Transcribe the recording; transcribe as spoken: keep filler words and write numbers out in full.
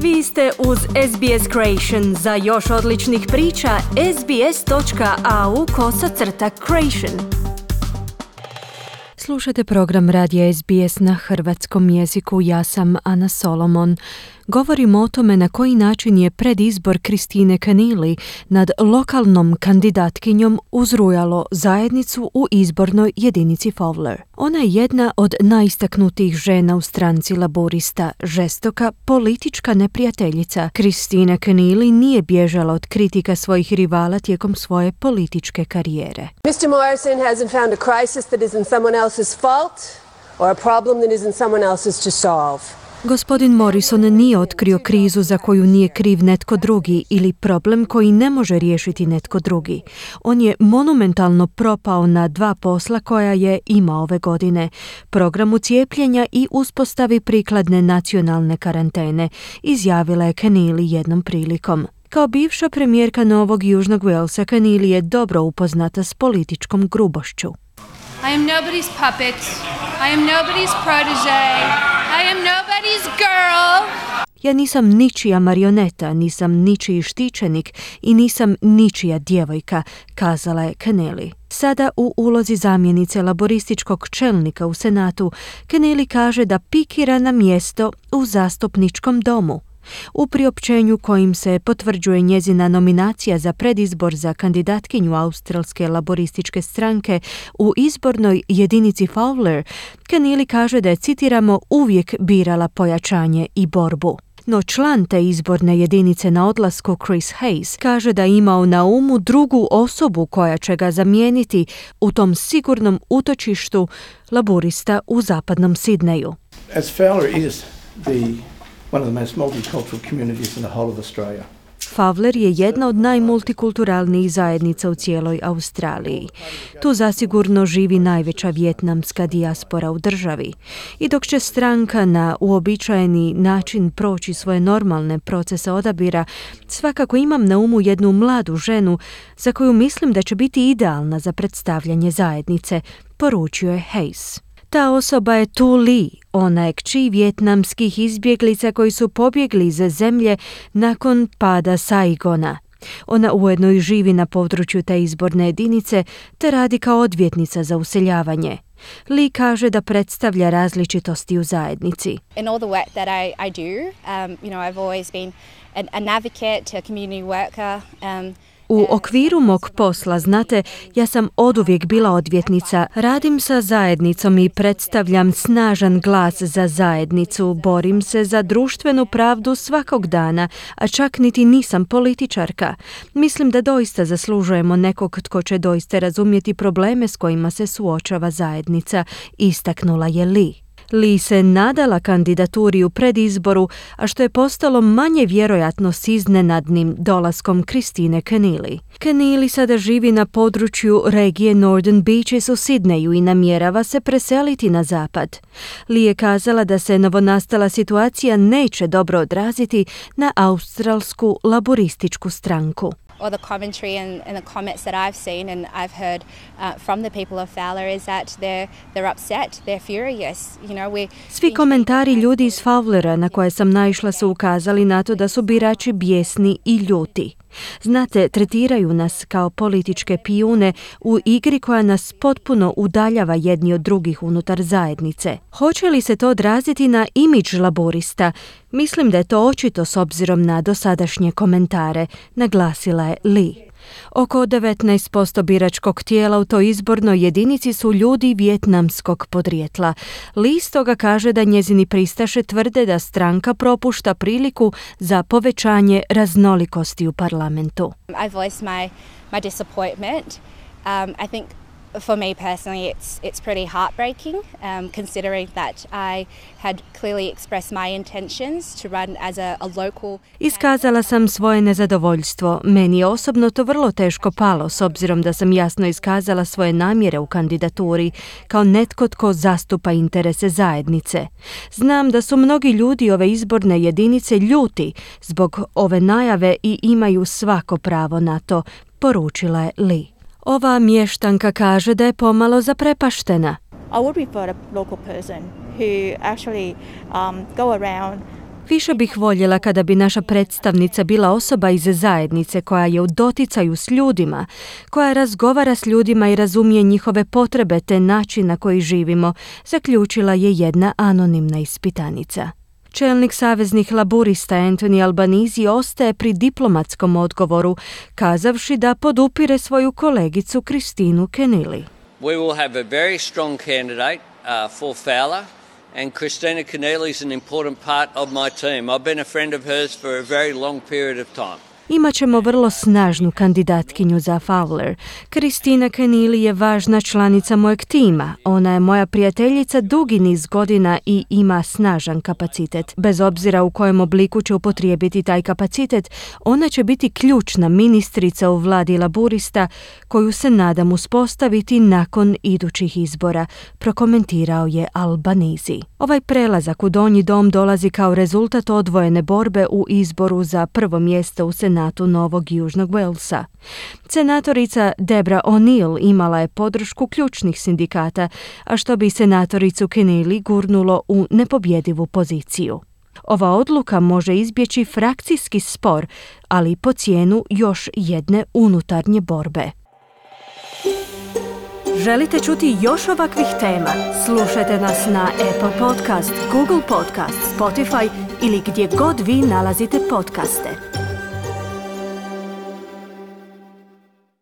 Vi ste uz S B S Creation. Za još odličnih priča, sbs.au kosacrta creation. Slušate program radija S B S na hrvatskom jeziku. Ja sam Ana Solomon. Govorimo o tome na koji način je predizbor Kristine Keneally nad lokalnom kandidatkinjom uzrujalo zajednicu u izbornoj jedinici Fowler. Ona je jedna od najistaknutijih žena u stranci laborista, žestoka politička neprijateljica. Kristina Keneally nije bježala od kritika svojih rivala tijekom svoje političke karijere. mister Morrison hasn't found a crisis that is in someone else's fault or a problem that isn't someone else's to solve. Gospodin Morrison nije otkrio krizu za koju nije kriv netko drugi ili problem koji ne može riješiti netko drugi. On je monumentalno propao na dva posla koja je imao ove godine. Programu cijepljenja i uspostavi prikladne nacionalne karantene, izjavila je Keneally jednom prilikom. Kao bivša premijerka Novog Južnog Walesa, Keneally je dobro upoznata s političkom grubošću. I am nobody's puppet. I am nobody's protege. I am nobody's girl. Ja nisam ničija marioneta, nisam ničiji štićenik i nisam ničija djevojka, kazala je Keneally. Sada u ulozi zamjenice laborističkog čelnika u Senatu, Keneally kaže da pikira na mjesto u zastupničkom domu. U priopćenju kojim se potvrđuje njezina nominacija za predizbor za kandidatkinju australske laborističke stranke u izbornoj jedinici Fowler, Keneally kaže da je, citiramo, uvijek birala pojačanje i borbu. No član te izborne jedinice na odlasku, Chris Hayes, kaže da je imao na umu drugu osobu koja će ga zamijeniti u tom sigurnom utočištu laborista u zapadnom Sidneju. As Fowler is the one of the most multicultural communities in the whole of Australia. Fowler je jedna od najmultikulturalnijih zajednica u cijeloj Australiji. Tu zasigurno živi najveća vijetnamska dijaspora u državi. I dok će stranka na uobičajeni način proći svoje normalne procese odabira, svakako imam na umu jednu mladu ženu za koju mislim da će biti idealna za predstavljanje zajednice, poručio je Hayes. Ta osoba je Tu Lee, ona je kći vijetnamskih izbjeglica koji su pobjegli iz zemlje nakon pada Saigona. Ona ujedno i živi na području te izborne jedinice te radi kao odvjetnica za useljavanje. Lee kaže da predstavlja različitosti u zajednici. In all the work that I, I do, um, you know, I've always been an, an advocate, a community worker. Um, U okviru mog posla, znate, ja sam oduvijek bila odvjetnica, radim sa zajednicom i predstavljam snažan glas za zajednicu, borim se za društvenu pravdu svakog dana, a čak niti nisam političarka. Mislim da doista zaslužujemo nekog tko će doista razumjeti probleme s kojima se suočava zajednica, istaknula je Lee. Lee se nadala kandidaturi u predizboru, a što je postalo manje vjerojatno s iznenadnim dolaskom Kristine Keneally. Keneally sada živi na području regije Northern Beaches u Sidneju i namjerava se preseliti na zapad. Lee je kazala da se novonastala situacija neće dobro odraziti na australsku laborističku stranku. Or the commentary and, and the comments that I've seen and I've heard uh, from the people of Fowler is that they're they're upset, they're furious. You know, we Svi komentari ljudi iz Fowlera na koje sam naišla su ukazali na to da su birači bijesni i ljuti. Znate, tretiraju nas kao političke pijune u igri koja nas potpuno udaljava jedni od drugih unutar zajednice. Hoće li se to odraziti na imidž laborista? Mislim da je to očito s obzirom na dosadašnje komentare, naglasila je Lee. Oko devetnaest posto biračkog tijela u toj izbornoj jedinici su ljudi vijetnamskog podrijetla. Lee stoga kaže da njezini pristaše tvrde da stranka propušta priliku za povećanje raznolikosti u parlamentu. I voiced my my disappointment. Um, I think for me personally it's it's pretty heartbreaking um, considering that I had clearly expressed my intentions to run as a, a local. Iskazala sam svoje nezadovoljstvo. Meni je osobno to vrlo teško palo s obzirom da sam jasno iskazala svoje namjere u kandidaturi kao netko tko zastupa interese zajednice. Znam da su mnogi ljudi ove izborne jedinice ljuti zbog ove najave i imaju svako pravo na to, poručila je Lee. Ova mještanka kaže da je pomalo zaprepaštena. I would prefer a local person who actually um, go around Više bih voljela kada bi naša predstavnica bila osoba iz zajednice koja je u doticaju s ljudima, koja razgovara s ljudima i razumije njihove potrebe te način na koji živimo, zaključila je jedna anonimna ispitanica. Čelnik saveznih laburista Anthony Albanese ostaje pri diplomatskom odgovoru, kazavši da podupire svoju kolegicu Kristinu Keneally. We will have a very strong candidate uh, for Fowler, and Christina Keneally is an important part of my team. I've been a friend of hers for a very long period of time. Imaćemo vrlo snažnu kandidatkinju za Fowler. Kristina Keneally je važna članica mojeg tima. Ona je moja prijateljica dugi niz godina i ima snažan kapacitet. Bez obzira u kojem obliku će upotrijebiti taj kapacitet, ona će biti ključna ministrica u vladi laburista koju se nadam uspostaviti nakon idućih izbora, prokomentirao je Albanese. Ovaj prelazak u donji dom dolazi kao rezultat odvojene borbe u izboru za prvo mjesto u Senatu Novog Južnog Walesa. Senatorica Debra O'Neill imala je podršku ključnih sindikata, a što bi senatoricu Keneally gurnulo u nepobjedivu poziciju. Ova odluka može izbjeći frakcijski spor, ali po cijenu još jedne unutarnje borbe. Želite čuti još ovakvih tema? Slušajte nas na Apple Podcast, Google Podcast, Spotify ili gdje god vi nalazite podcaste.